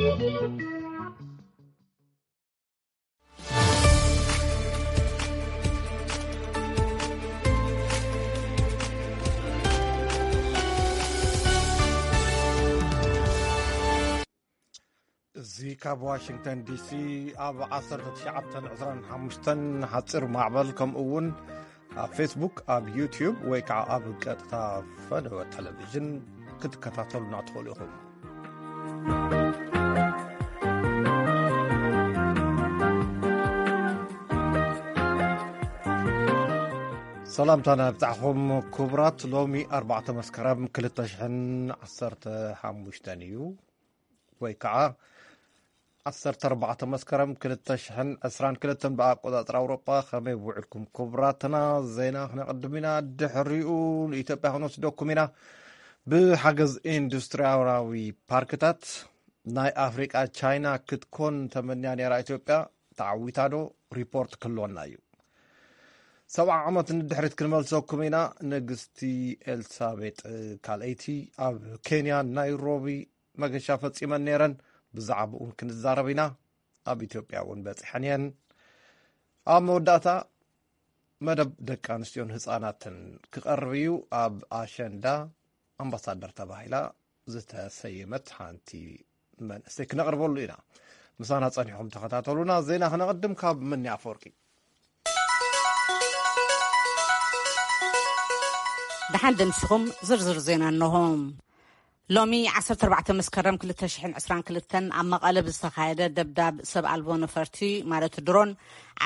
እዚ ካብ ዋሽንግተን ዲሲ ኣብ ዓሰርተ ትሽዓተ ዕስራን ሓሙሽተን ሓፂር ማዕበል፣ ከምኡ እውን ኣብ ፌስቡክ፣ ኣብ ዩትዩብ ወይ ከዓ ኣብ ቀጥታ ፈነወ ቴሌቪዥን ክትከታተሉና ትኽእሉ ኢኹም። ሰላምታና ይብጻሕኹም ክቡራት። ሎሚ ኣርባዕተ መስከረም ክልተ ሽሕን ዓሰርተ ሓሙሽተን እዩ፣ ወይ ከዓ ዓሰርተ ኣርባዕተ መስከረም ክልተ ሽሕን ዕስራን ክልተን ብኣቆጻጽራ ኣውሮጳ። ከመይ ውዕልኩም ክቡራትና? ዜና ክነቕድም ኢና። ድሕሪኡ ንኢትዮጵያ ክንወስደኩም ኢና። ብሓገዝ ኢንዱስትሪያዊ ፓርክታት ናይ ኣፍሪቃ ቻይና ክትኮን ተመንያ ነይራ ኢትዮጵያ፣ ተዓዊታ ዶ? ሪፖርት ክህልወና እዩ። ሰብዓ ዓመት ንድሕሪት ክንመልሰኩም ኢና። ንግስቲ ኤልሳቤጥ ካልኣይቲ ኣብ ኬንያ ናይሮቢ መገሻ ፈጺመን ነይረን። ብዛዕባኡን ክንዛረብ ኢና። ኣብ ኢትዮጵያ እውን በጺሐን እየን። ኣብ መወዳእታ መደብ ደቂ ኣንስትዮን ህጻናትን ክቐርብ እዩ። ኣብ ኣሸንዳ ኣምባሳደር ተባሂላ ዝተሰየመት ሓንቲ መንእሰይ ክነቕርበሉ ኢና። ምሳና ጸኒሕኩም ተኸታተሉና። ዜና ክነቕድም ካብ ምኒ ኣፈወርቂ። ደሓን ደምሲኹም ዝርዝር ዜና እንሆ። ሎሚ ዓሰርተ ኣርባዕተ መስከረም ክልተ ሽሕን ዕስራን ክልተን ኣብ መቐለ ብዝተኻየደ ደብዳብ ሰብ ኣልቦ ነፈርቲ ማለት ድሮን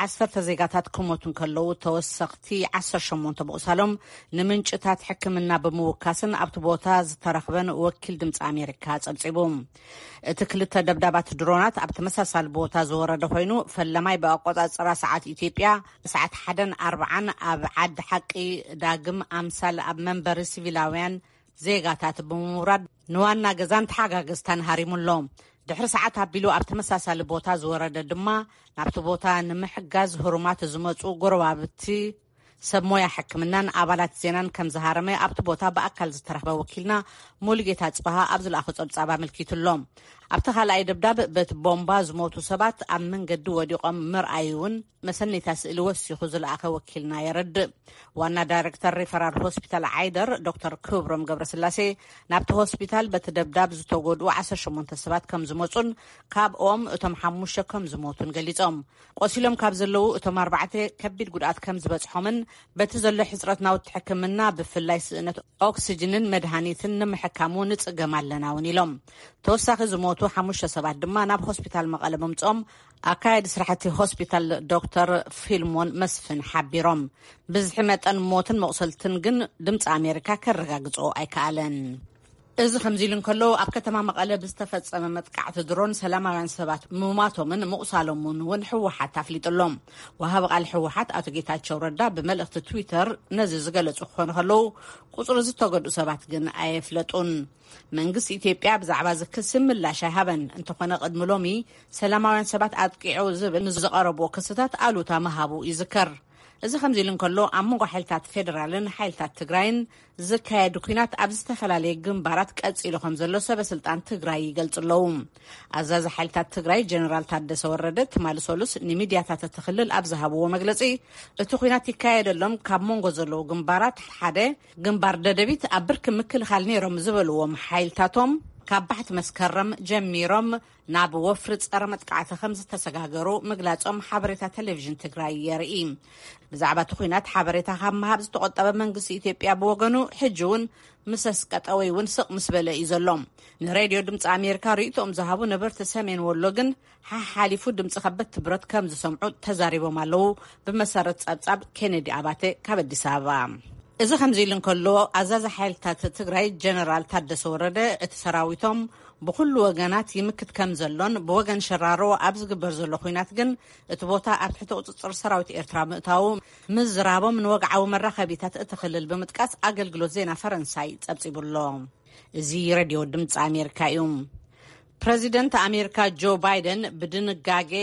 ዓሰርተ ዜጋታት ክሞቱ እንከለዉ ተወሰኽቲ ዓሰርተ ሸሞንተ ምቑሳሎም ንምንጭታት ሕክምና ብምውካስን ኣብቲ ቦታ ዝተረኽበን ወኪል ድምፂ ኣሜሪካ ጸብጺቡ። እቲ ክልተ ደብዳባት ድሮናት ኣብ ተመሳሳሊ ቦታ ዝወረደ ኮይኑ ፈለማይ ብኣቆጻጽራ ሰዓት ኢትዮጵያ ሰዓት ሓደን ኣርባዓን ኣብ ዓዲ ሓቂ ዳግም ኣምሳል ኣብ መንበሪ ሲቪላውያን ዜጋታት ብምውራድ ንዋና ገዛን ተሓጋገዝታን ሃሪሙ ኣሎ። ድሕሪ ሰዓት ኣቢሉ ኣብ ተመሳሳሊ ቦታ ዝወረደ ድማ ናብቲ ቦታ ንምሕጋዝ ህሩማት ዝመጹ ጎረባብቲ ሰብ ሞያ ሕክምናን ኣባላት ዜናን ከም ዝሃረመ ኣብቲ ቦታ ብኣካል ዝተረኽበ ወኪልና ሙሉጌታ ጽበሃ ኣብ ዝለኣኾ ጸብጻብ ኣመልኪቱ ኣሎ። ኣብቲ ካልኣይ ደብዳብ በቲ ቦምባ ዝሞቱ ሰባት ኣብ መንገዲ ወዲቖም ምርኣዩ እውን መሰነይታ ስእሊ ወሲኹ ዝለኣኸ ወኪልና የረድእ። ዋና ዳይሬክተር ሪፈራል ሆስፒታል ዓይደር ዶክተር ክብሮም ገብረስላሴ ናብቲ ሆስፒታል በቲ ደብዳብ ዝተጎድኡ ዓሰርተ ሸሞንተ ሰባት ከም ዝመጹን ካብኦም እቶም ሓሙሽተ ከም ዝሞቱን ገሊጾም። ቆሲሎም ካብ ዘለዉ እቶም ኣርባዕተ ከቢድ ጉድኣት ከም ዝበጽሖምን በቲ ዘሎ ሕጽረት ናውቲ ሕክምና ብፍላይ ስእነት ኦክስጅንን መድሃኒትን ንምሕካሙ ንጽገም ኣለና እውን ኢሎም። ተወሳኺ ዝሞቱ ሓሙሽተ ሰባት ድማ ናብ ሆስፒታል መቐለ ምምጽኦም ኣካያዲ ስራሕቲ ሆስፒታል ዶክተር ፊልሞን መስፍን ሓቢሮም። ብዝሒ መጠን ሞትን መቑሰልትን ግን ድምፂ ኣሜሪካ ከረጋግጾ ኣይከኣለን። እዚ ከምዚ ኢሉ እንከሎ ኣብ ከተማ መቐለ ብዝተፈጸመ መጥቃዕቲ ድሮን ሰላማውያን ሰባት ምማቶምን ምቑሳሎምን እውን ህወሓት ኣፍሊጡ ኣሎ። ወሃቢ ቃል ህወሓት ኣቶ ጌታቸው ረዳ ብመልእኽቲ ትዊተር ነዚ ዝገለጹ ክኾኑ ከለዉ ቁጽሪ ዝተጎድኡ ሰባት ግን ኣየፍለጡን። መንግስቲ ኢትዮጵያ ብዛዕባ እዚ ክሲ ምላሽ ኣይሃበን። እንተኾነ ቅድሚ ሎሚ ሰላማውያን ሰባት ኣጥቂዑ ዝብል ንዝቐረብዎ ክስታት ኣሉታ ምሃቡ ይዝከር። እዚ ከምዚ ኢሉ እንከሎ ኣብ መንጎ ሓይልታት ፌደራልን ሓይልታት ትግራይን ዝካየዱ ኲናት ኣብ ዝተፈላለየ ግንባራት ቀጺሉ ከም ዘሎ ሰበ ስልጣን ትግራይ ይገልጹ ኣለዉ። ኣዛዚ ሓይልታት ትግራይ ጀነራል ታደሰ ወረደ ትማሊ ሰሉስ ንሚድያታት እቲ ክልል ኣብ ዝሃብዎ መግለጺ እቲ ኲናት ይካየደሎም ካብ መንጎ ዘለዉ ግንባራት ሓደ ግንባር ደደቢት ኣብ ብርኪ ምክልኻል ነይሮም ዝበልዎም ሓይልታቶም ካብ ባሕቲ መስከረም ጀሚሮም ናብ ወፍሪ ጸረ መጥቃዕቲ ከም ዝተሰጋገሩ ምግላጾም ሓበሬታ ቴሌቪዥን ትግራይ የርኢ። ብዛዕባ እቲ ኲናት ሓበሬታ ካብ ምሃብ ዝተቖጠበ መንግስቲ ኢትዮጵያ ብወገኑ ሕጂ እውን ምስ ኣስቀጠ ወይ እውን ስቕ ምስ በለ እዩ ዘሎ። ንሬድዮ ድምፂ ኣሜሪካ ርእይቶኦም ዝሃቡ ነበርቲ ሰሜን ወሎ ግን ሓሓሊፉ ድምፂ ከበድቲ ብረት ከም ዝሰምዑ ተዛሪቦም ኣለዉ። ብመሰረት ጸብጻብ ኬኔዲ ኣባተ ካብ ኣዲስ ኣበባ። እዚ ከምዚ ኢሉ እንከሎ ኣዛዚ ሓይልታት ትግራይ ጀነራል ታደሰ ወረደ እቲ ሰራዊቶም ብኩሉ ወገናት ይምክት ከም ዘሎን ብወገን ሸራሮ ኣብ ዝግበር ዘሎ ኲናት ግን እቲ ቦታ ኣብ ትሕቲ ቁጽጽር ሰራዊት ኤርትራ ምእታዉ ምዝራቦም ንወግዓዊ መራኸቢታት እቲ ክልል ብምጥቃስ ኣገልግሎት ዜና ፈረንሳይ ጸብጺቡ ኣሎ። እዚ ሬድዮ ድምፂ ኣሜሪካ እዩ። ፕረዚደንት ኣሜሪካ ጆ ባይደን ብድንጋጌ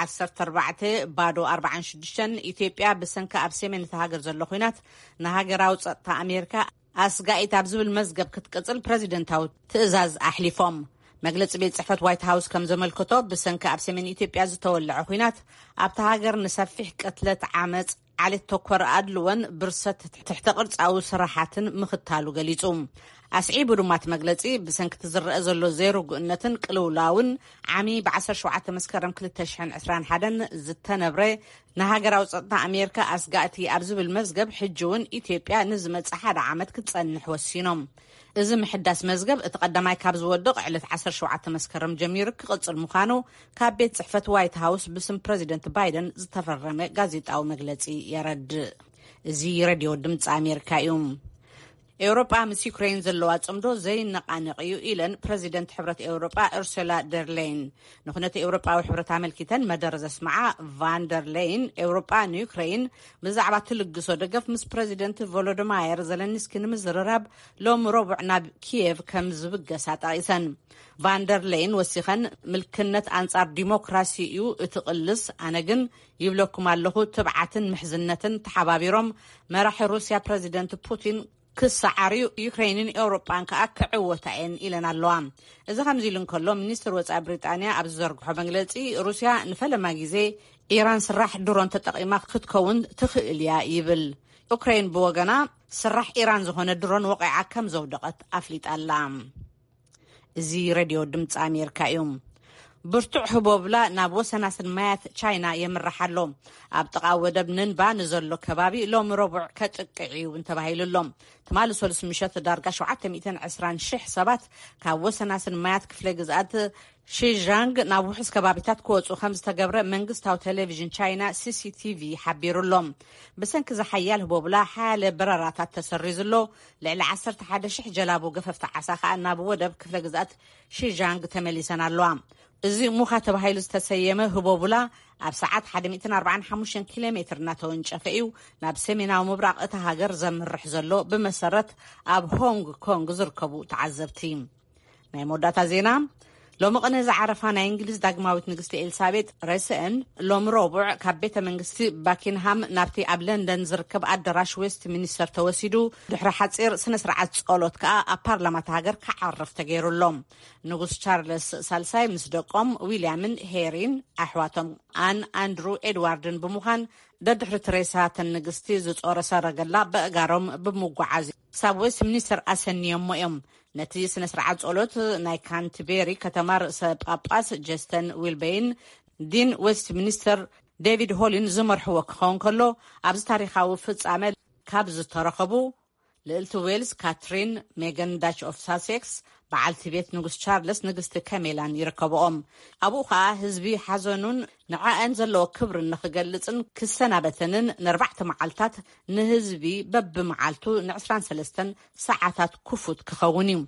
ዓሰርተ ኣርባዕተ ባዶ ኣርባዓን ሽዱሽተን ኢትዮጵያ ብሰንኪ ኣብ ሰሜን እቲ ሃገር ዘሎ ኲናት ንሃገራዊ ጸጥታ ኣሜሪካ ኣስጋኢት ኣብ ዝብል መዝገብ ክትቅጽል ፕረዚደንታዊ ትእዛዝ ኣሕሊፎም። መግለጺ ቤት ጽሕፈት ዋይት ሃውስ ከም ዘመልከቶ፣ ብሰንኪ ኣብ ሰሜን ኢትዮጵያ ዝተወለዐ ኲናት ኣብታ ሃገር ንሰፊሕ ቅትለት፣ ዓመጽ፣ ዓሌት ተኮር ኣድልዎን ብርሰት ትሕተ ቅርጻዊ ስራሓትን ምኽታሉ ገሊጹ። ኣስዒቡ ድማ እቲ መግለጺ፣ ብሰንኪ እቲ ዝረአ ዘሎ ዘይርጉእነትን ቅልውላውን ዓሚ ብ ዓሰርተ ሸውዓተ መስከረም ክልተ ሽሕን ዕስራን ሓደን ዝተነብረ ንሃገራዊ ጸጥታ ኣሜሪካ ኣስጋእቲ ኣብ ዝብል መዝገብ፣ ሕጂ እውን ኢትዮጵያ ንዝመጽእ ሓደ ዓመት ክትጸንሕ ወሲኖም። እዚ ምሕዳስ መዝገብ፣ እቲ ቀዳማይ ካብ ዝወድቕ ዕለት ዓሰርተ ሸውዓተ መስከረም ጀሚሩ ክቕጽል ምዃኑ ካብ ቤት ጽሕፈት ዋይት ሃውስ ብስም ፕረዚደንት ባይደን ዝተፈረመ ጋዜጣዊ መግለጺ የረድእ። እዚ ሬድዮ ድምፂ ኣሜሪካ እዩ። ኤውሮጳ ምስ ዩክሬን ዘለዋ ጽምዶ ዘይነቓነቕ እዩ ኢለን ፕረዚደንት ሕብረት ኤውሮጳ ኡርሱላ ደርሌይን። ንኹነት ኤውሮጳዊ ሕብረት ኣመልኪተን መደረ ዘስምዓ ቫን ደር ሌይን፣ ኤውሮጳ ንዩክሬን ብዛዕባ ትልግሶ ደገፍ ምስ ፕረዚደንት ቮሎዲማየር ዘለንስኪ ንምዝርራብ ሎም ረቡዕ ናብ ኪየቭ ከም ዝብገሳ ጠቒሰን። ቫን ደር ሌይን ወሲኸን፣ ምልክነት ኣንጻር ዲሞክራሲ እዩ እቲ ቅልስ፣ ኣነ ግን ይብለኩም ኣለኹ፣ ትብዓትን ምሕዝነትን ተሓባቢሮም መራሒ ሩስያ ፕረዚደንት ፑቲን ክሰዓርዩ፣ ዩክሬንን ኤውሮጳን ከኣ ክዕወታ እየን ኢለን ኣለዋ። እዚ ከምዚ ኢሉ እንከሎ፣ ሚኒስትር ወጻኢ ብሪጣንያ ኣብ ዝዘርግሖ መግለጺ፣ ሩስያ ንፈለማ ግዜ ኢራን ስራሕ ድሮን ተጠቒማ ክትከውን ትኽእል እያ ይብል። ዩክሬን ብወገና፣ ስራሕ ኢራን ዝኾነ ድሮን ወቒዓ ከም ዘውደቐት ኣፍሊጣ ኣላ። እዚ ሬድዮ ድምፂ ኣሜሪካ እዩ። ብርቱዕ ህቦብላ ናብ ወሰናስን ማያት ቻይና የምርሕ ኣሎ። ኣብ ጥቓ ወደብ ንንባ ንዘሎ ከባቢ ሎሚ ረቡዕ ከጥቅዕ እዩ እውን ተባሂሉ ኣሎ። ትማሊ ሰሉስ ምሸት ዳርጋ ሸውዓተ ሚእትን ዕስራን ሽሕ ሰባት ካብ ወሰናስን ማያት ክፍለ ግዝኣት ሺጃንግ ናብ ውሑስ ከባቢታት ክወፁ ከም ዝተገብረ መንግስታዊ ቴሌቪዥን ቻይና ሲሲቲቪ ሓቢሩ ኣሎ። ብሰንኪ ዝሓያል ህቦብላ ሓያለ በረራታት ተሰሪዙ ኣሎ። ልዕሊ ዓሰርተ ሓደ ሽሕ ጀላቡ ገፈፍቲ ዓሳ ከኣ ናብ ወደብ ክፍለ ግዝኣት ሺጃንግ ተመሊሰን ኣለዋ። እዚ ሙኻ ተባሂሉ ዝተሰየመ ህቦቡላ ኣብ ሰዓት ሓደ ሚእትን ኣርባዓን ሓሙሽተን ኪሎ ሜትር እናተወንጨፈ እዩ ናብ ሰሜናዊ ምብራቕ እታ ሃገር ዘምርሕ ዘሎ፣ ብመሰረት ኣብ ሆንግ ኮንግ ዝርከቡ ተዓዘብቲ። ናይ መወዳእታ ዜና። ሎሚ ቅነ ዝዓረፋ ናይ እንግሊዝ ዳግማዊት ንግስቲ ኤልሳቤጥ ሬስአን፣ ሎሚ ረቡዕ ካብ ቤተ መንግስቲ ባኪንሃም ናብቲ ኣብ ለንደን ዝርከብ ኣዳራሽ ዌስት ሚኒስተር ተወሲዱ፣ ድሕሪ ሓጺር ስነ ስርዓት ጸሎት ከኣ ኣብ ፓርላማ እታ ሃገር ክዓርፍ ተገይሩ ኣሎ። ንጉስ ቻርለስ ሳልሳይ ምስ ደቆም ዊልያምን ሄሪን፣ ኣሕዋቶም ኣን፣ ኣንድሩ፣ ኤድዋርድን ብምዃን፣ ደድሕሪ ትሬሳ ተን ንግስቲ ዝጾረ ሰረገላ በእጋሮም ብምጓዓዝ ክሳብ ዌስት ሚኒስተር ኣሰንዮሞ እዮም። ነቲ ስነ ስርዓት ጸሎት ናይ ካንትቤሪ ከተማ ርእሰ ጳጳስ ጀስተን ዊልበይን፣ ዲን ዌስት ሚኒስተር ዴቪድ ሆሊን ዝመርሕዎ ክኸውን ከሎ፣ ኣብዚ ታሪኻዊ ፍጻመ ካብ ዝተረኸቡ፣ ልእልቲ ዌልስ ካትሪን ሜገን ዳች ኦፍ ሳሴክስ፣ በዓልቲ ቤት ንጉስ ቻርለስ ንግስቲ ከሜላን ይርከብኦም። ኣብኡ ኸኣ ህዝቢ ሓዘኑን ንዓኣን ዘለዎ ክብርን ንኽገልጽን ክሰናበተንን ንኣርባዕተ መዓልታት ንህዝቢ በብመዓልቱ ንዕስራን ሰለስተን ሰዓታት ክፉት ክኸውን እዩ።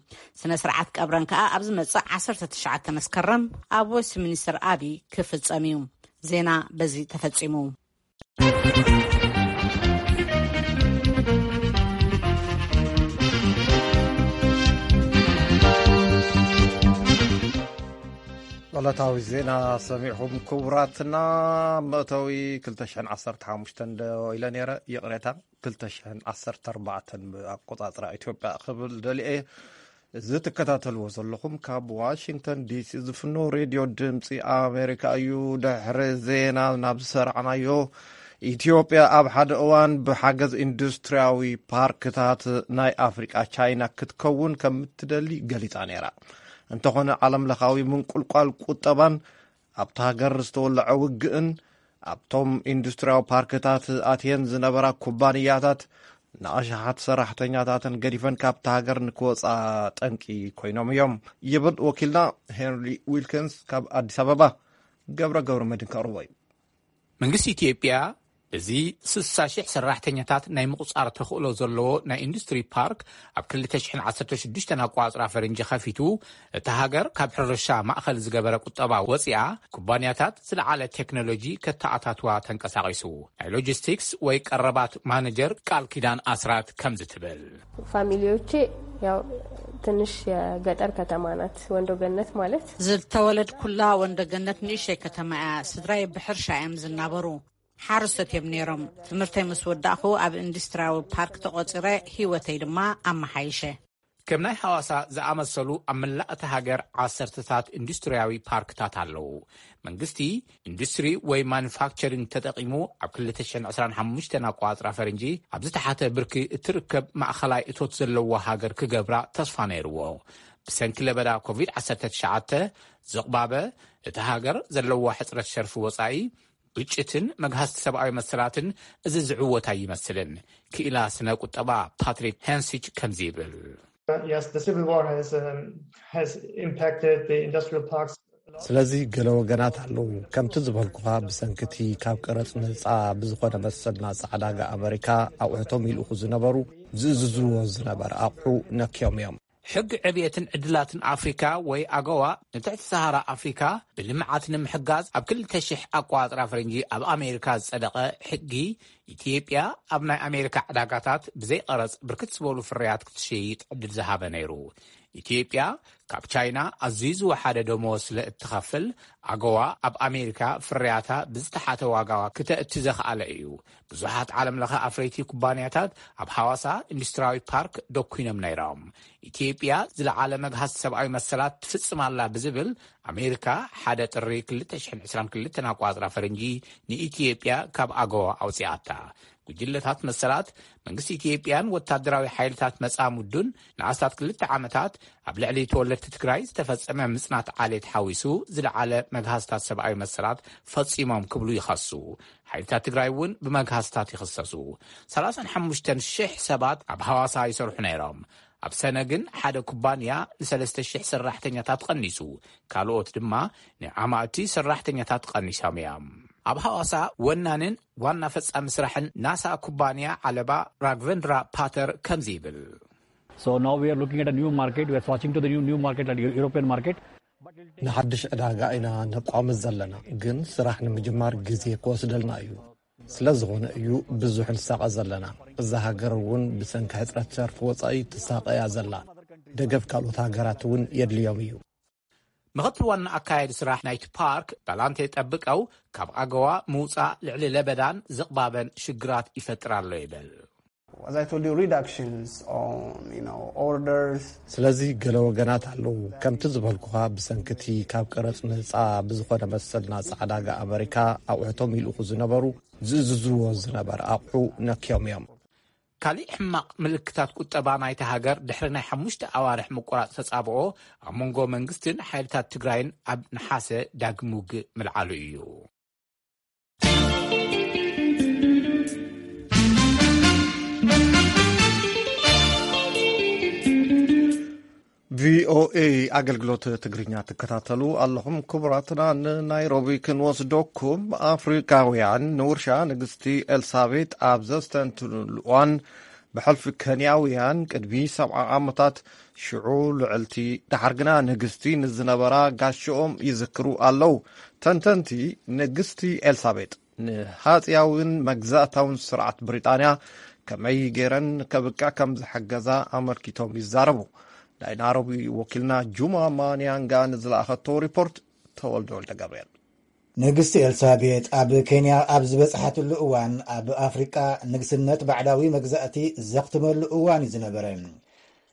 ስነ ስርዓት ቀብረን ከኣ ኣብ ዝመጽእ ዓሰርተ ትሽዓተ መስከረም ኣብ ዌስት ሚኒስተር ኣቢ ክፍጸም እዩ። ዜና በዚ ተፈጺሙ። ዕለታዊ ዜና ሰሚዕኹም ክቡራትና። መእተዊ ክልተ ሽሕን ዓሰርተ ሓሙሽተን ዶ ኢለ ነይረ? ይቕሬታ፣ ክልተ ሽሕን ዓሰርተ ኣርባዕተን ብኣቆጻጽራ ኢትዮጵያ ክብል ደልየ። እዚ ትከታተልዎ ዘለኹም ካብ ዋሽንግተን ዲሲ ዝፍኖ ሬድዮ ድምፂ ኣሜሪካ እዩ። ድሕሪ ዜና ናብ ዝሰራዕናዮ፣ ኢትዮጵያ ኣብ ሓደ እዋን ብሓገዝ ኢንዱስትሪያዊ ፓርክታት ናይ ኣፍሪቃ ቻይና ክትከውን ከም እትደሊ ገሊጻ ነይራ። እንተኾነ፣ ዓለም ለኻዊ ምንቁልቋል ቁጠባን ኣብታ ሃገር ዝተወለዐ ውግእን ኣብቶም ኢንዱስትሪያዊ ፓርክታት ኣትየን ዝነበራ ኩባንያታት ንኣሽሓት ሰራሕተኛታተን ገዲፈን ካብታ ሃገር ንክወፃ ጠንቂ ኮይኖም እዮም ይብል ወኪልና ሄንሪ ዊልኪንስ ካብ ኣዲስ ኣበባ። ገብረ ገብረ መድን ከቕርቦ እዩ። መንግስቲ ኢትዮጵያ እዚ ስሳ ሽሕ ሰራሕተኛታት ናይ ምቑጻር ተኽእሎ ዘለዎ ናይ ኢንዱስትሪ ፓርክ ኣብ ክልተ ሽሕን ዓሰርተ ሽዱሽተን ኣቋጽራ ፈረንጂ ከፊቱ፣ እታ ሃገር ካብ ሕርሻ ማእኸል ዝገበረ ቁጠባ ወፂኣ፣ ኩባንያታት ዝለዓለ ቴክኖሎጂ ከተኣታትዋ ተንቀሳቒሱ። ናይ ሎጂስቲክስ ወይ ቀረባት ማነጀር ቃል ኪዳን ኣስራት ከምዚ ትብል። ፋሚሊዎቼ ያው ትንሽ የገጠር ከተማ ናት ወንዶ ገነት ማለት። ዝተወለድኩላ ወንዶ ገነት ንእሽተይ ከተማ እያ። ስድራይ ብሕርሻ እዮም ዝናበሩ። ሓረስቶት እዮም ነይሮም። ትምህርተይ ምስ ወዳእኹ ኣብ ኢንዱስትሪያዊ ፓርክ ተቖጺረ፣ ህይወተይ ድማ ኣመሓይሸ። ከም ናይ ሃዋሳ ዝኣመሰሉ ኣብ መላእ እታ ሃገር ዓሰርተታት ኢንዱስትርያዊ ፓርክታት ኣለዉ። መንግስቲ ኢንዱስትሪ ወይ ማኑፋክቸሪንግ ተጠቒሙ ኣብ ክልተ ሽሕን ዕስራን ሓሙሽተን ኣቋጽራ ፈረንጂ ኣብ ዝተሓተ ብርኪ እትርከብ ማእኸላይ እቶት ዘለዎ ሃገር ክገብራ ተስፋ ነይርዎ። ብሰንኪ ለበዳ ኮቪድ ዓሰርተ ትሽዓተ ዝቕባበ እቲ ሃገር ዘለዎ ሕጽረት ሸርፊ ወጻኢ፣ ግጭትን መግሃስቲ ሰብኣዊ መሰላትን እዚ ዝዕወት ኣይመስልን። ክኢላ ስነ ቁጠባ ፓትሪክ ሄንሲች ከምዚ ይብል። Yes, the civil war has, um, has impacted the industrial parks. ስለዚ ገለ ወገናት ኣለዉ። ከምቲ ዝበልኩኻ፣ ብሰንኪ እቲ ካብ ቀረጽ ነጻ ብዝኾነ መሰል ናጻ ዕዳጋ ኣመሪካ ኣቑሑቶም ይልእኹ ዝነበሩ፣ ዝእዝዝዎ ዝነበረ ኣቑሑ ነክዮም እዮም። ሕጊ ዕብየትን ዕድላትን ኣፍሪካ ወይ ኣገዋ ንትሕቲ ሰሃራ ኣፍሪካ ብልምዓት ንምሕጋዝ ኣብ ክልተ ሽሕ ኣቋጽራ ፈረንጂ ኣብ ኣሜሪካ ዝጸደቐ ሕጊ፣ ኢትዮጵያ ኣብ ናይ ኣሜሪካ ዕዳጋታት ብዘይ ቀረጽ ብርክት ዝበሉ ፍርያት ክትሸይጥ ዕድል ዝሃበ ነይሩ። ኢትዮጵያ ካብ ቻይና ኣዝዩ ዝወሓደ ደመወዝ ስለ እትኸፍል፣ ኣገዋ ኣብ ኣሜሪካ ፍርያታ ብዝተሓተ ዋጋ ክተእቲ ዘኽኣለ እዩ። ብዙሓት ዓለም ለኸ ኣፍረይቲ ኩባንያታት ኣብ ሃዋሳ ኢንዱስትሪያዊ ፓርክ ደኩኖም ነይሮም። ኢትዮጵያ ዝለዓለ መግሃስ ሰብኣዊ መሰላት ትፍጽም ኣላ ብዝብል ኣሜሪካ ሓደ ጥሪ ክልተ ሽሕን ዕስራን ክልተን ኣቋጽራ ፈረንጂ ንኢትዮጵያ ካብ ኣገዋ ኣውጺኣታ። ጉጅለታት መሰላት መንግስቲ ኢትዮጵያን ወታደራዊ ሓይልታት መጻምዱን ንኣስታት ክልተ ዓመታት ኣብ ልዕሊ ተወለድቲ ትግራይ ዝተፈጸመ ምጽናት ዓሌት ሓዊሱ ዝለዓለ መግሃስታት ሰብኣዊ መሰላት ፈጺሞም ክብሉ ይኸሱ። ሓይልታት ትግራይ እውን ብመግሃስታት ይኽሰሱ። ሰላሳን ሓሙሽተን ሽሕ ሰባት ኣብ ሃዋሳ ይሰርሑ ነይሮም። ኣብ ሰነ ግን ሓደ ኩባንያ ንሰለስተ ሽሕ ሰራሕተኛታት ቀኒሱ፣ ካልኦት ድማ ንኣማእቲ ሰራሕተኛታት ቀኒሶም እዮም። ኣብ ሃዋሳ ወናንን ዋና ፈጻሚ ስራሕን ናሳ ኩባንያ ዓለባ ራግቨንድራ ፓተር ከምዚ ይብል። So now we are looking at a new market. We are switching to the new new market, like European market. ንሓድሽ ዕዳጋ ኢና ነቋምት ዘለና፣ ግን ስራሕ ንምጅማር ግዜ ክወስደልና እዩ። ስለ ዝኾነ እዩ ብዙሕ ንሳቐ ዘለና። እዛ ሃገር እውን ብሰንኪ ሕፅረት ሸርፊ ወፃኢ ትሳቐ እያ ዘላ። ደገፍ ካልኦት ሃገራት እውን የድልዮም እዩ። ምኽትል ዋና ኣካያዲ ስራሕ ናይቲ ፓርክ ዳላንቴ ጠብቀው፣ ካብ ኣገዋ ምውፃእ ልዕሊ ለበዳን ዝቕባበን ሽግራት ይፈጥር ኣሎ ይብል። As I told you, reductions on, you know, orders. ስለዚ ገለ ወገናት ኣለዉ። ከምቲ ዝበልኩኻ፣ ብሰንኪ እቲ ካብ ቀረጽ ነጻ ብዝኾነ መሰል ናጻ ዕዳጋ ኣመሪካ ኣቑሑቶም ይልእኹ ዝነበሩ፣ ዝእዝዝዎ ዝነበረ ኣቑሑ ነክዮም እዮም። ካሊእ ሕማቕ ምልክታት ቁጠባ ናይታ ሃገር፣ ድሕሪ ናይ ሓሙሽተ ኣዋርሕ ምቁራጽ ተጻብኦ ኣብ መንጎ መንግስትን ሓይልታት ትግራይን ኣብ ነሓሰ ዳግም ውግእ ምልዓሉ እዩ። ቪኦኤ ኣገልግሎት ትግርኛ ትከታተሉ ኣለኹም። ክቡራትና፣ ንናይሮቢ ክንወስደኩም። ኣፍሪካውያን ንውርሻ ንግስቲ ኤልሳቤጥ ኣብ ዘስተንትኑሉ እዋን፣ ብሕልፊ ኬንያውያን ቅድሚ ሰብዓ ዓመታት፣ ሽዑ ልዕልቲ፣ ደሓር ግና ንግስቲ ንዝነበራ ጋሽኦም ይዝክሩ ኣለዉ። ተንተንቲ፣ ንግስቲ ኤልሳቤጥ ንሃጽያውን መግዛእታውን ስርዓት ብሪጣንያ ከመይ ገይረን ከብቅዕ ከም ዝሐገዛ ኣመልኪቶም ይዛረቡ። ናይ ናይሮቢ ወኪልና ጁማ ማንያንጋ ንዝለኣኸቶ ሪፖርት፣ ተወልደ ወልደ ገብርኤል። ንግስቲ ኤልሳቤጥ ኣብ ኬንያ ኣብ ዝበጽሓትሉ እዋን፣ ኣብ ኣፍሪቃ ንግስነት ባዕዳዊ መግዛእቲ ዘኽትመሉ እዋን እዩ ዝነበረ።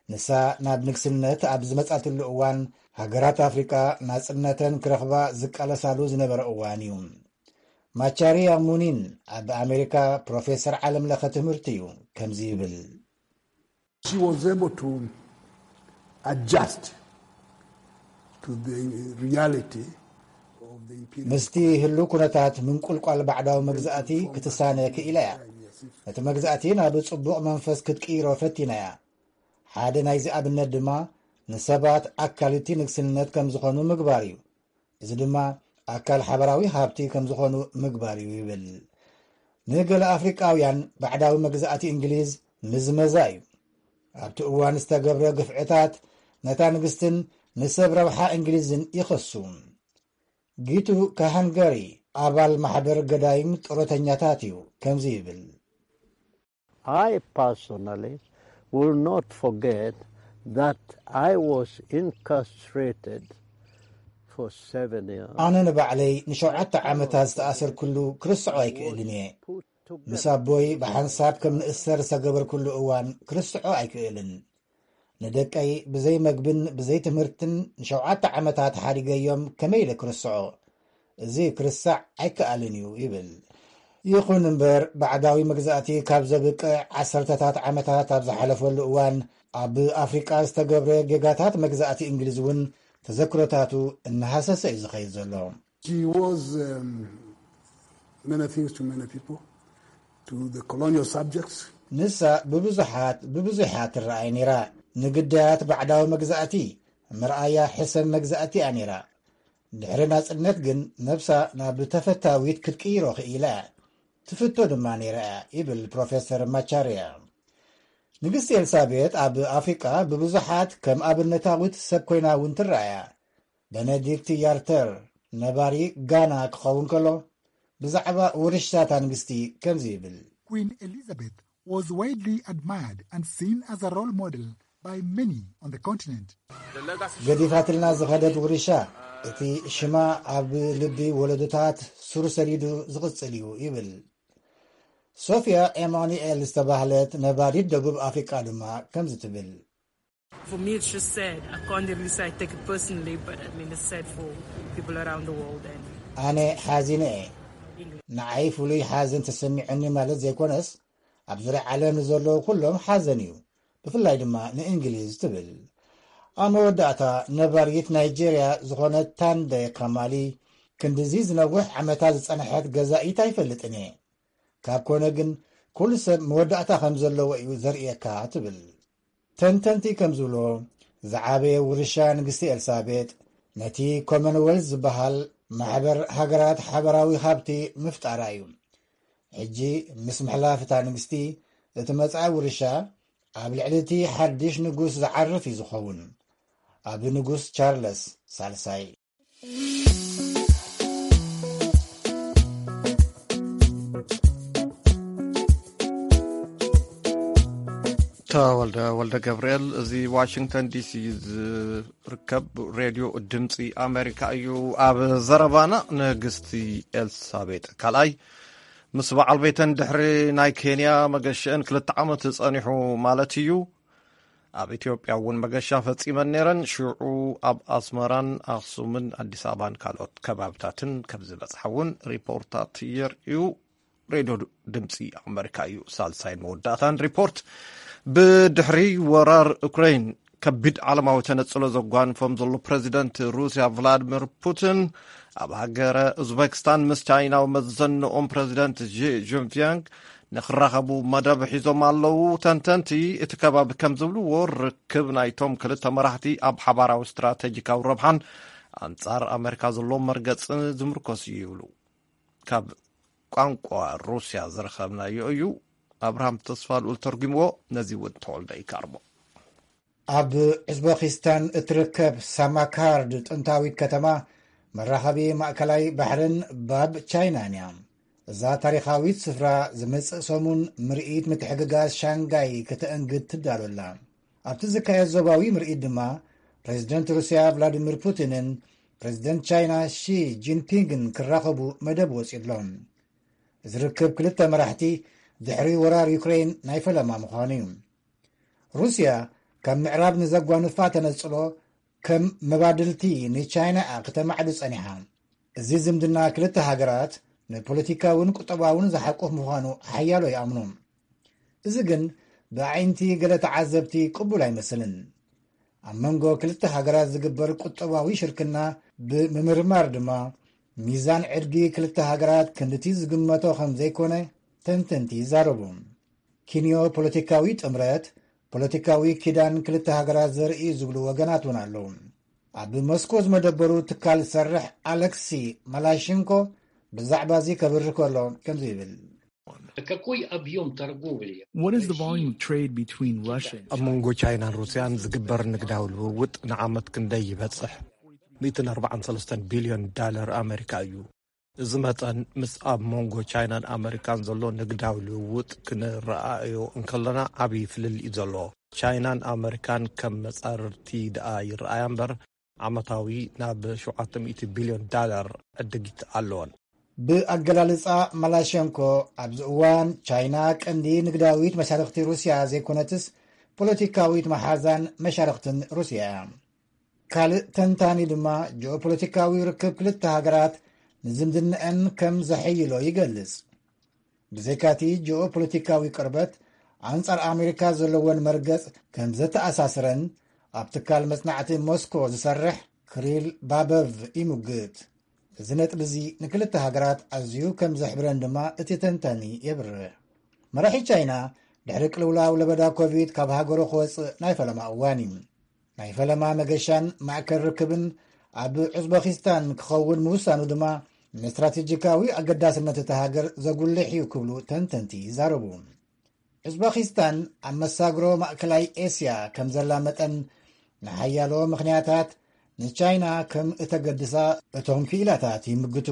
ንሳ ናብ ንግስነት ኣብ ዝመጻትሉ እዋን፣ ሃገራት ኣፍሪቃ ናጽነተን ክረኽባ ዝቃለሳሉ ዝነበረ እዋን እዩ። ማቻሪያ ሙኒን ኣብ ኣሜሪካ ፕሮፌሰር ዓለም ለኸ ትምህርቲ እዩ። ከምዚ ይብል። She was able to adjust to the reality of the imperial ምስቲ ህሉ ኩነታት ምንቁልቋል ባዕዳዊ መግዛእቲ ክትሳነ ክኢላ እያ። እቲ መግዛእቲ ናብ ጽቡቕ መንፈስ ክትቅይሮ ፈቲና እያ። ሓደ ናይዚ ኣብነት ድማ ንሰባት ኣካልቲ ንግስነት ከም ዝኾኑ ምግባር እዩ። እዚ ድማ ኣካል ሓበራዊ ሃብቲ ከም ዝኾኑ ምግባር እዩ ይብል። ንገለ ኣፍሪቃውያን ባዕዳዊ መግዛእቲ እንግሊዝ ምዝመዛ እዩ። ኣብቲ እዋን ዝተገብረ ግፍዕታት ነታ ንግስትን ንሰብ ረብሓ እንግሊዝን ይኸሱ። ጊቱ ካሃንገሪ ኣባል ማሕበር ገዳይም ጡረተኛታት እዩ። ከምዚ ይብል። I personally will not forget that I was incarcerated for seven years. ኣነ ንባዕለይ ንሸውዓተ ዓመታት ዝተኣሰርኩሉ ክርስዖ ኣይክእልን እየ። ምስ ኣቦይ ብሓንሳብ ከም ንእሰር ዝተገበርኩሉ እዋን ክርስዖ ኣይክእልን። ንደቀይ ብዘይ መግብን ብዘይ ትምህርትን ንሸውዓተ ዓመታት ሓዲገዮም ከመይ ኢለ ክርስዖ? እዚ ክርሳዕ ኣይከኣልን እዩ ይብል። ይኹን እምበር፣ ባዕዳዊ መግዛእቲ ካብ ዘብቅዕ ዓሰርተታት ዓመታት ኣብ ዝሓለፈሉ እዋን፣ ኣብ ኣፍሪቃ ዝተገብረ ጌጋታት መግዛእቲ እንግሊዝ እውን ተዘክሮታቱ እናሃሰሰ እዩ ዝኸይድ ዘሎ። She was um, many things to many people, to the colonial subjects. ንሳ ብብዙሓት ብብዙሓት ትረኣይ ነይራ። ንግዳያት ባዕዳዊ መግዛእቲ ምርኣያ ሕሰም መግዛእቲ እያ ነይራ። ድሕሪ ናጽነት ግን ነብሳ ናብ ተፈታዊት ክትቅይሮ ክኢላ እያ። ትፍቶ ድማ ነይራ እያ ይብል ፕሮፌሰር ማቻርያ። ንግስቲ ኤልሳቤጥ ኣብ ኣፍሪቃ ብብዙሓት ከም ኣብነታዊት ሰብ ኮይና እውን ትረኣያ። ቤነዲክት ያርተር ነባሪ ጋና ክኸውን ከሎ ብዛዕባ ውርሻታ ንግስቲ ከምዚ ይብል። Queen Elizabeth was widely admired and seen as a role model by many on the continent. ገዲፋትልና ዝኸደት ውርሻ እቲ ሽማ ኣብ ልቢ ወለዶታት ሱር ሰዲዱ ዝቕጽል እዩ ይብል። ሶፊያ ኤማኑኤል ዝተባህለት ነባሪት ደቡብ ኣፍሪቃ ድማ ከምዚ ትብል። For me, it's just sad. I can't really say I take it personally, but I mean, it's sad for people around the world. And ኣነ ሓዚነ እየ። ንዓይ ፍሉይ ሓዘን ተሰሚዑኒ ማለት ዘይኮነስ፣ ኣብ ዙርያ ዓለም ንዘለዉ ኩሎም ሓዘን እዩ። ብፍላይ ድማ ንእንግሊዝ ትብል። ኣብ መወዳእታ፣ ነባሪት ናይጄርያ ዝኾነት ታንደ ካማሊ፣ ክንድዚ ዝነውሕ ዓመታት ዝጸንሐት ገዛኢት ኣይፈልጥን እየ። ካብ ኮነ ግን፣ ኩሉ ሰብ መወዳእታ ከም ዘለዎ እዩ ዘርእየካ ትብል። ተንተንቲ ከም ዝብሎ፣ ዝዓበየ ውርሻ ንግስቲ ኤልሳቤጥ ነቲ ኮመንወልዝ ዝበሃል ማሕበር ሃገራት ሓበራዊ ሃብቲ ምፍጣራ እዩ። ሕጂ ምስ ምሕላፍ እታ ንግስቲ፣ እቲ መጻኢ ውርሻ ኣብ ልዕሊ እቲ ሓድሽ ንጉስ ዝዓርፍ እዩ ዝኸውን። ኣብ ንጉስ ቻርለስ ሳልሳይ። ተወልደ ወልደ ገብርኤል። እዚ ዋሽንግተን ዲሲ ዝርከብ ሬድዮ ድምፂ ኣሜሪካ እዩ። ኣብ ዘረባና፣ ንግስቲ ኤልሳቤጥ ካልኣይ ምስ በዓል ቤተን ድሕሪ ናይ ኬንያ መገሽአን ክልተ ዓመት ጸኒሑ ማለት እዩ፣ ኣብ ኢትዮጵያ እውን መገሻ ፈጺመን ነይረን። ሽዑ ኣብ ኣስመራን ኣኽሱምን ኣዲስ ኣበባን ካልኦት ከባብታትን ከም ዝበጽሓ እውን ሪፖርታት የርእዩ። ሬድዮ ድምፂ ኣመሪካ እዩ ሳልሳይን መወዳእታን ሪፖርት። ብድሕሪ ወራር ዩክሬን ከቢድ ዓለማዊ ተነጽሎ ዘጓንፎም ዘሎ ፕረዚደንት ሩስያ ቭላድሚር ፑቲን ኣብ ሃገረ ኡዝቤክስታን ምስ ቻይናዊ መዘንኦም ፕረዚደንት ዢ ጂንፒንግ ንኽራኸቡ መደብ ሒዞም ኣለዉ። ተንተንቲ እቲ ከባቢ ከም ዝብልዎ፣ ርክብ ናይቶም ክልተ መራሕቲ ኣብ ሓባራዊ ስትራተጂካዊ ረብሓን ኣንጻር ኣመሪካ ዘሎ መርገጽን ዝምርኮስ እዩ ይብሉ። ካብ ቋንቋ ሩስያ ዝረኸብናዮ እዩ። ኣብርሃም ተስፋ ልኡል ተርጉምዎ፣ ነዚ እውን ተወልደ ይካርሞ። ኣብ ኡዝበኪስታን እትርከብ ሳማካርድ ጥንታዊት ከተማ መራኸቢ ማእከላይ ባሕርን ባብ ቻይናን እያ። እዛ ታሪኻዊት ስፍራ ዝመጽእ ሰሙን ምርኢት ምትሕግጋዝ ሻንጋይ ከተእንግድ ትዳሎ ኣላ። ኣብቲ ዝካየድ ዞባዊ ምርኢት ድማ ፕሬዚደንት ሩስያ ቭላዲሚር ፑቲንን ፕሬዚደንት ቻይና ሺ ጂንፒንግን ክራኸቡ መደብ ወጺኡ ኣሎ። እዚ ርክብ ክልተ መራሕቲ ድሕሪ ወራር ዩክሬን ናይ ፈለማ ምዃኑ እዩ። ሩስያ ካብ ምዕራብ ንዘጓንፋ ተነጽሎ ከም መባድልቲ ንቻይና እያ ከተማዕዱ ጸኒሓ። እዚ ዝምድና ክልተ ሃገራት ንፖለቲካውን ቁጠባውን ዝሓቁፍ ምዃኑ ሓያሎ ይኣምኑ። እዚ ግን ብኣዒንቲ ገለ ተዓዘብቲ ቅቡል ኣይመስልን። ኣብ መንጎ ክልተ ሃገራት ዝግበር ቁጠባዊ ሽርክና ብምምርማር ድማ፣ ሚዛን ዕድጊ ክልተ ሃገራት ክንድቲ ዝግመቶ ከም ዘይኮነ ተንተንቲ ይዛረቡ። ኪንዮ ፖለቲካዊ ጥምረት፣ ፖለቲካዊ ኪዳን ክልተ ሃገራት ዘርኢ እዩ ዝብሉ ወገናት እውን ኣለዉ። ኣብ ሞስኮ ዝመደበሩ ትካል ዝሰርሕ ኣለክሲ ማላሽንኮ ብዛዕባ እዚ ከብርህ ከሎ ከምዚ ይብል። Какой объем торговли? What is the volume of trade between Russia and ኣብ መንጎ ቻይናን ሩስያን ዝግበር ንግዳዊ ልውውጥ ንዓመት ክንደይ ይበጽሕ? ሚእትን ኣርባዓን ሰለስተን ቢልዮን ዳለር ኣመሪካ እዩ። እዚ መጠን ምስ ኣብ መንጎ ቻይናን ኣመሪካን ዘሎ ንግዳዊ ልውውጥ ክንረኣዮ እንከለና ዓብዪ ፍልልይ እዩ ዘሎ። ቻይናን ኣመሪካን ከም መጻርርቲ ደኣ ይረኣያ እምበር ዓመታዊ ናብ ሸውዓተ ሚእቲ ቢልዮን ዳላር ዕድጊት ኣለወን። ብኣገላልጻ ማላሸንኮ፣ ኣብዚ እዋን ቻይና ቀንዲ ንግዳዊት መሻርኽቲ ሩስያ ዘይኮነትስ፣ ፖለቲካዊት መሓዛን መሻርኽትን ሩስያ እያ። ካልእ ተንታኒ ድማ ጂኦፖለቲካዊ ርክብ ክልተ ሃገራት ንዝምድናኣን ከም ዘሐይሎ ይገልጽ። ብዘይካቲ ጂኦፖለቲካዊ ቅርበት፣ ኣንጻር ኣሜሪካ ዘለወን መርገጽ ከም ዘተኣሳስረን ኣብ ትካል መጽናዕቲ ሞስኮ ዝሰርሕ ክሪል ባበቭ ይምግት። እዚ ነጥቢ እዚ ንክልተ ሃገራት ኣዝዩ ከም ዘሕብረን ድማ እቲ ተንታኒ የብርህ። መራሒ ቻይና ድሕሪ ቅልውላው ለበዳ ኮቪድ ካብ ሃገሩ ክወጽእ ናይ ፈለማ እዋን እዩ። ናይ ፈለማ መገሻን ማእከል ርክብን ኣብ ኡዝበኪስታን ክኸውን ምውሳኑ ድማ ንስትራቴጂካዊ ኣገዳስነት እታ ሃገር ዘጉልሕ እዩ ክብሉ ተንተንቲ ይዛረቡ። ኡዝበኪስታን ኣብ መሳግሮ ማእከላይ ኤስያ ከም ዘላ መጠን፣ ንሓያሎ ምኽንያታት ንቻይና ከም እተገድሳ እቶም ክኢላታት ይምግቱ።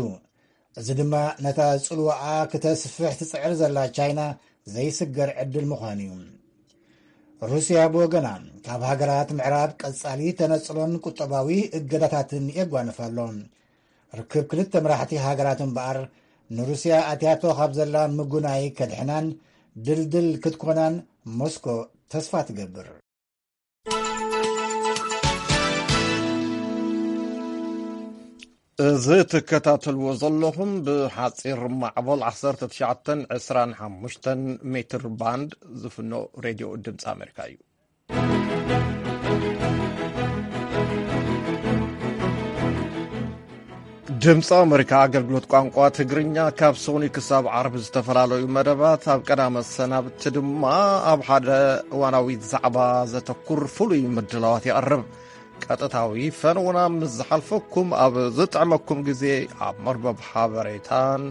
እዚ ድማ ነታ ጽልዋኣ ክተስፍሕ ትጽዕር ዘላ ቻይና ዘይስገር ዕድል ምዃኑ እዩ። ሩስያ ብወገና፣ ካብ ሃገራት ምዕራብ ቀጻሊ ተነጽሎን ቁጠባዊ እገዳታትን የጓንፍ ኣሎ። ርክብ ክልተ መራሕቲ ሃገራት እምበኣር፣ ንሩስያ ኣትያቶ ካብ ዘላ ምጉናይ ከድሕናን ድልድል ክትኮናን ሞስኮ ተስፋ ትገብር። እዚ ትከታተልዎ ዘለኹም ብሓጺር ማዕበል ዓሰርተ ትሽዓተን ዕስራን ሓሙሽተን ሜትር ባንድ ዝፍኖ ሬድዮ ድምፂ ኣሜሪካ እዩ። ድምፂ ኣሜሪካ ኣገልግሎት ቋንቋ ትግርኛ ካብ ሶኒ ክሳብ ዓርቢ ዝተፈላለዩ መደባት፣ ኣብ ቀዳመ ሰናብቲ ድማ ኣብ ሓደ እዋናዊ ዛዕባ ዘተኩር ፍሉይ ምድላዋት የቕርብ። ቀጥታዊ ፈነውና ምስ ዝሓልፈኩም፣ ኣብ ዝጥዕመኩም ግዜ ኣብ መርበብ ሓበሬታን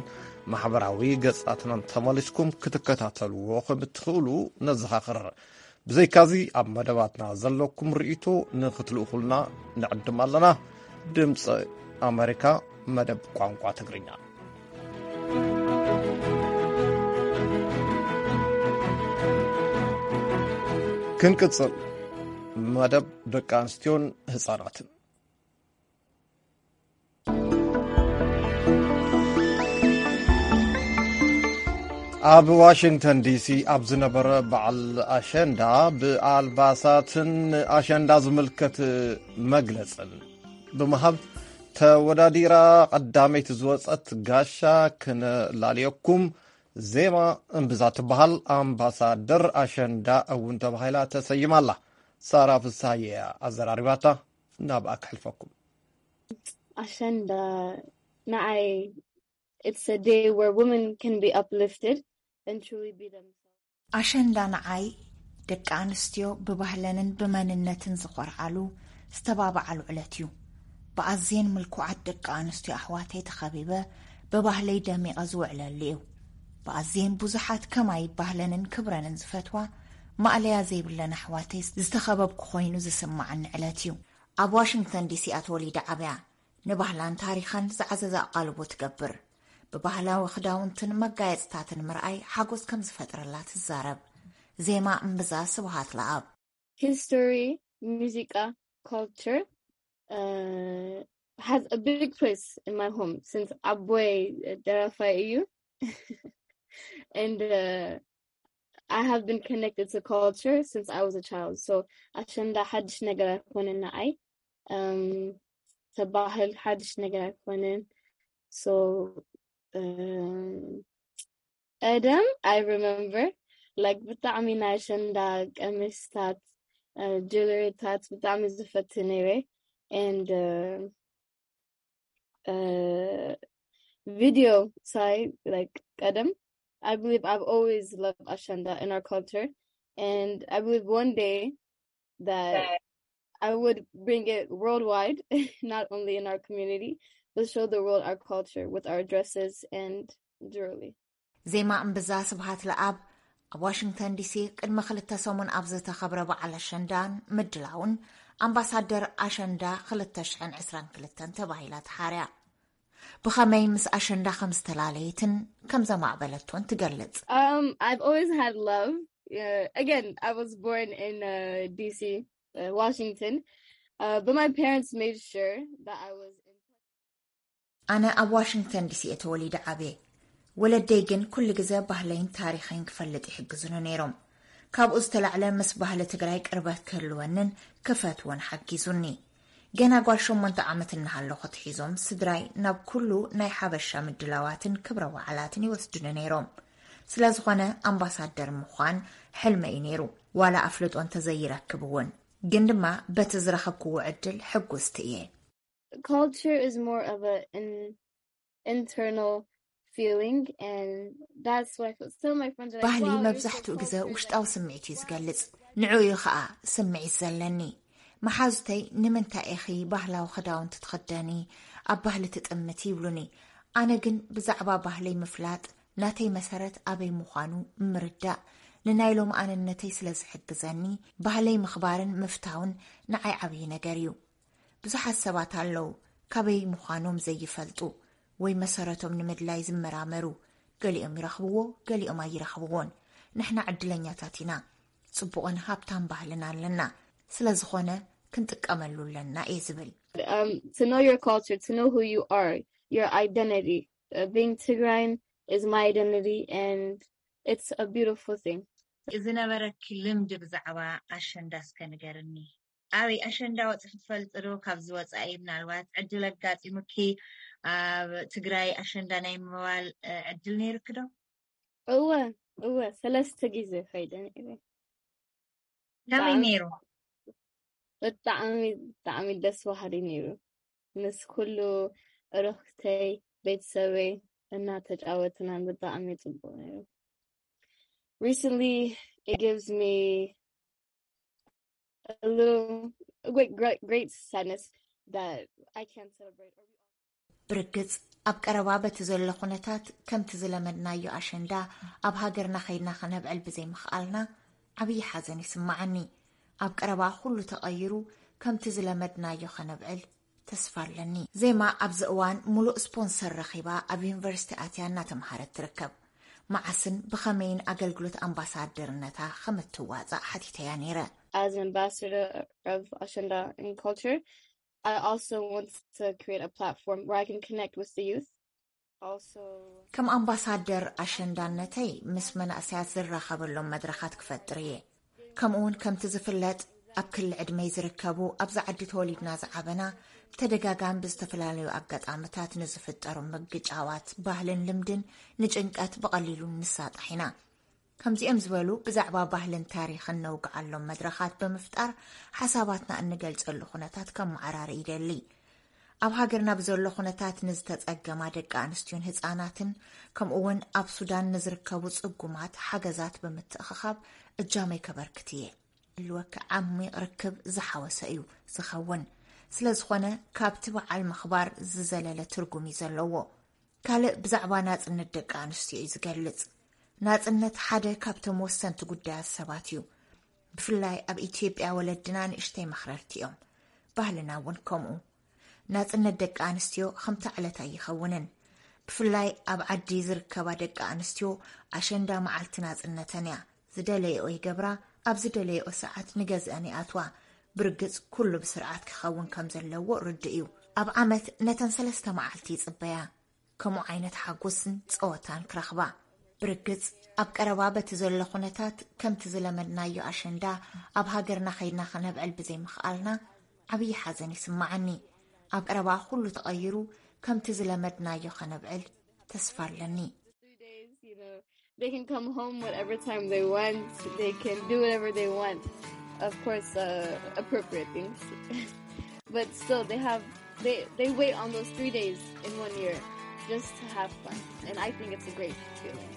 ማሕበራዊ ገጻትናን ተመሊስኩም ክትከታተልዎ ከም እትኽእሉ ነዘኻኽር። ብዘይካዚ፣ ኣብ መደባትና ዘለኩም ርእይቶ ንኽትልእኹልና ንዕድም ኣለና። ድምፂ ኣሜሪካ፣ መደብ ቋንቋ ትግርኛ። ክንቅጽል፣ መደብ ደቂ ኣንስትዮን ህጻናትን። ኣብ ዋሽንግተን ዲሲ ኣብ ዝነበረ በዓል ኣሸንዳ፣ ብኣልባሳትን ኣሸንዳ ዝምልከት መግለጽን ብምሃብ ተወዳዲራ ቀዳመይቲ ዝወጸት ጋሻ ክነላልየኩም፣ ዜማ እምብዛ ትበሃል ኣምባሳደር ኣሸንዳ እውን ተባሂላ ተሰይማ ኣላ። ሳራ ፍስሃየ እያ ኣዘራሪባታ። ናብኣ ክሕልፈኩም። ኣሸንዳ ንዓይ፣ it's a day where women can be uplifted and truly be themselves. ኣሸንዳ ንዓይ ደቂ ኣንስትዮ ብባህለንን ብመንነትን ዝኾርዓሉ፣ ዝተባብዓሉ ዕለት እዩ። ብኣዝየን ምልኩዓት ደቂ ኣንስትዮ ኣሕዋተይ ተኸቢበ ብባህለይ ደሚቐ ዝውዕለሉ እዩ። ብኣዝየን ብዙሓት ከማይ ባህለንን ክብረንን ዝፈትዋ ማእለያ ዘይብለን ኣሕዋተይ ዝተኸበብኩ ኮይኑ ዝስማዓኒ ዕለት እዩ። ኣብ ዋሽንግተን ዲሲ እያ ተወሊዳ ዓብያ። ንባህላን ታሪኻን ዝዓዘዘ ኣቓልቦ ትገብር። ብባህላዊ ክዳውንትን መጋየጽታትን ምርኣይ ሓጎስ ከም ዝፈጥረላ ትዛረብ። ዜማ እምብዛ ስብሃት ለኣብ። History, ሙዚቃ፣ culture, uh, has a big place in my home since ኣቦይ ደራፋይ እዩ። And, uh, I have been connected to culture since I was a child. So ኣሸንዳ ሓድሽ ነገር ኣይኮነን ንዓይ። Um, ተባህል ሓድሽ ነገር ኣይኮነን። So, um, ቀደም I remember, like, ብጣዕሚ ናይ ኣሸንዳ ቀሚስታት፣ uh, ጅለሪታት ብጣዕሚ ዝፈቱ ነይረ። And, uh, uh, video ሳይ, like, ቀደም, I believe I've always loved ኣሸንዳ in our culture, and I believe one day that I would bring it worldwide, not only in our community, but show the world our culture with our dresses and jewelry. ዜማ እምብዛ ስብሃት ለኣብ ኣብ ዋሽንግተን ዲሲ ቅድሚ ክልተ ሰሙን ኣብ ዝተኸብረ በዓል ኣሸንዳን ምድላውን ኣምባሳደር ኣሸንዳ ክልተ ሽሕን ዕስራን ክልተን ተባሂላ ተሓርያ። ብኸመይ ምስ ኣሸንዳ ከም ዝተላለየትን ከም ዘማዕበለቶን ትገልጽ። Um, I've always had love. Uh, again, I was born in, uh, D C, uh, Washington, uh, but my parents made sure that I was in ኣነ ኣብ ዋሽንግተን ዲሲ እየ ተወሊደ ዓብየ። ወለደይ ግን ኩሉ ግዜ ባህለይን ታሪኸይን ክፈልጥ ይሕግዙኒ ነይሮም። ካብኡ ዝተላዕለ ምስ ባህሊ ትግራይ ቅርበት ክህልወንን ክፈትዎን ሓጊዙኒ። ገና ጓል ሸሞንተ ዓመት እናሃለኹ ትሒዞም ስድራይ ናብ ኩሉ ናይ ሓበሻ ምድላዋትን ክብረ በዓላትን ይወስዱኒ ነይሮም። ስለ ዝኾነ ኣምባሳደር ምዃን ሕልመይ እዩ ነይሩ፣ ዋላ ኣፍልጦ እንተዘይረክብ እውን። ግን ድማ በቲ ዝረኸብክዎ ዕድል ሕጉስቲ እየ። Culture is more of a an internal feeling, and that's why some of my friends are like, ባህሊ "Wow, you're so መብዛሕትኡ ግዜ cultured." ውሽጣዊ ስምዒት እዩ ዝገልጽ። ንዕኡ እዩ ኸኣ ስምዒት ዘለኒ። መሓዙተይ "ንምንታይ ኢኺ ባህላዊ ክዳውንቲ ትኽደኒ፣ ኣብ ባህሊ ትጥምቲ?" ይብሉኒ። ኣነ ግን ብዛዕባ ባህለይ ምፍላጥ፣ ናተይ መሰረት ኣበይ ምዃኑ ምርዳእ፣ ንናይ ሎምኣንነተይ ስለ ዝሕግዘኒ፣ ባህለይ ምኽባርን ምፍታውን ንዓይ ዓብዪ ነገር እዩ። ብዙሓት ሰባት ኣለዉ ካበይ ምዃኖም ዘይፈልጡ ወይ መሰረቶም ንምድላይ ዝመራመሩ። ገሊኦም ይረኽብዎ፣ ገሊኦም ኣይረኽብዎን። ንሕና ዕድለኛታት ኢና። ጽቡቕን ሃብታም ባህልን ኣለና። ስለ ዝኾነ ክንጥቀመሉ ኣለና እየ ዝብል። Um, to know your culture, to know who you are, your identity. Uh, being Tigrayan is my identity, and it's a beautiful thing. ዝነበረኪ ልምዲ ብዛዕባ ኣሸንዳ እስከ ንገርኒ። ኣበይ ኣሸንዳ ወፂኺ ትፈልጢ ዶ? ካብዚ ወፃኢ ምናልባት ዕድል ኣጋጢሙኪ ኣብ ትግራይ ኣሸንዳ ናይ ምባል እ፣ ዕድል ነይሩኪ ዶ? እወ እወ ሰለስተ ግዜ ከይደ ነይረ። ከመይ ብጣዕሚ ነይሩ? ብጣዕሚ ብጣዕሚ ደስ በሃሊ ነይሩ። ምስ ኩሉ እረኽተይ ቤተሰበይ እናተጫወትና ብጣዕሚ ጽቡቅ ነይሩ። Recently, it gives me a little great, great, great sadness that I can't celebrate. ብርግጽ ኣብ ቀረባ በቲ ዘሎ ኩነታት ከምቲ ዝለመድናዮ ኣሸንዳ ኣብ ሃገርና ከይድና ከነብዕል ብዘይምኽኣልና ዓብዪ ሓዘን ይስምዓኒ። ኣብ ቀረባ ኩሉ ተቐይሩ ከምቲ ዝለመድናዮ ከነብዕል ተስፋ ኣለኒ። ዜማ ኣብዚ እዋን ሙሉእ ስፖንሰር ረኺባ ኣብ ዩኒቨርሲቲ ኣትያ እናተምሃረት ትርከብ። መዓስን ብኸመይን ኣገልግሎት ኣምባሳደርነታ ከም እትዋጻእ ሓቲተያ ነይረ። As an ambassador of Ashenda and culture, I also want to create a platform where I can connect with the youth. Also, ከም ኣምባሳደር ኣሸንዳነተይ ምስ መናእሰያት ዝራኸበሎም መድረኻት ክፈጥር እየ። ከምኡውን ከምቲ ዝፍለጥ ኣብ ክሊ ዕድመይ ዝርከቡ ኣብዚ ዓዲ ተወሊድና ዝዓበና ብተደጋጋሚ ብዝተፈላለዩ ኣጋጣምታት ንዝፍጠሩ ምግጫዋት ባህልን ልምድን ንጭንቀት ብቐሊሉ ንሳጣሕ ኢና። ከምዚኦም ዝበሉ ብዛዕባ ባህልን ታሪኽን ነውግዓሎም መድረኻት ብምፍጣር ሓሳባትና እንገልጸሉ ኩነታት ከመዓራሪ ይደሊ። ኣብ ሃገርና ብዘሎ ኩነታት ንዝተጸገማ ደቂ ኣንስትዮን ህጻናትን ከምኡ እውን ኣብ ሱዳን ንዝርከቡ ጽጉማት ሓገዛት ብምትእኽኻብ እጃመይ ከበርክት እየ። ህልወኪ ዓሚቕ ርክብ ዝሓወሰ እዩ ዝኸውን። ስለ ዝኾነ ካብቲ በዓል ምኽባር ዝዘለለ ትርጉም እዩ ዘለዎ። ካልእ ብዛዕባ ናጽነት ደቂ ኣንስትዮ እዩ ዝገልጽ። ናጽነት ሓደ ካብቶም ወሰንቲ ጉዳያት ሰባት እዩ። ብፍላይ ኣብ ኢትዮጵያ ወለድና ንእሽተይ መኽረርቲ እዮም። ባህልና እውን ከምኡ። ናጽነት ደቂ ኣንስትዮ ከምታ ዕለት ኣይኸውንን። ብፍላይ ኣብ ዓዲ ዝርከባ ደቂ ኣንስትዮ ኣሸንዳ መዓልቲ ናጽነተን እያ። ዝደለየኦ ይገብራ፣ ኣብ ዝደለየኦ ሰዓት ንገዝአን ይኣትዋ። ብርግጽ ኩሉ ብስርዓት ክኸውን ከም ዘለዎ ርዱእ እዩ። ኣብ ዓመት ነተን ሰለስተ መዓልቲ ይጽበያ። ከምኡ ዓይነት ሓጎስን ጸወታን ክረኽባ። ብርግጽ ኣብ ቀረባ በቲ ዘሎ ኩነታት ከምቲ ዝለመድናዮ ኣሸንዳ ኣብ ሃገርና ከይድና ከነብዕል ብዘይምኽኣልና ዓብዪ ሓዘን ይስምዓኒ። ኣብ ቀረባ ኩሉ ተቐይሩ ከምቲ ዝለመድናዮ ከነብዕል ተስፋ ኣለኒ። Three days, you know, they can come home whatever time they want. They can do whatever they want. Of course, uh, appropriate things. But still, they have they they wait on those three days in one year just to have fun, and I think it's a great feeling.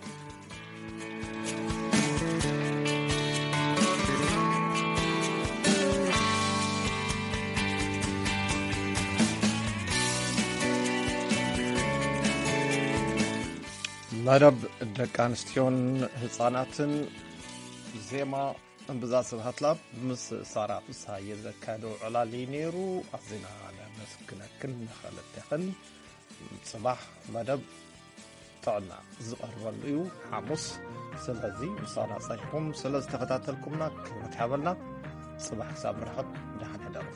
መደብ ደቂ ኣንስትዮን ህፃናትን ዜማ እምብዛ ስብሃት ላብ ምስ ሳራ ፍስሃየ ዘካየዶ ዕላል እዩ ነይሩ። ኣዚና ነመስግነክን ንኸልቴኽን። ፅባሕ መደብ ጥዕና ዝቐርበሉ እዩ፣ ሓሙስ። ስለዚ ምሳና ፀኒሕኩም ስለ ዝተኸታተልኩምና ክብረት ይሃበልና። ፅባሕ ክሳብ ንራኸብ ደሓን ሕደሩ።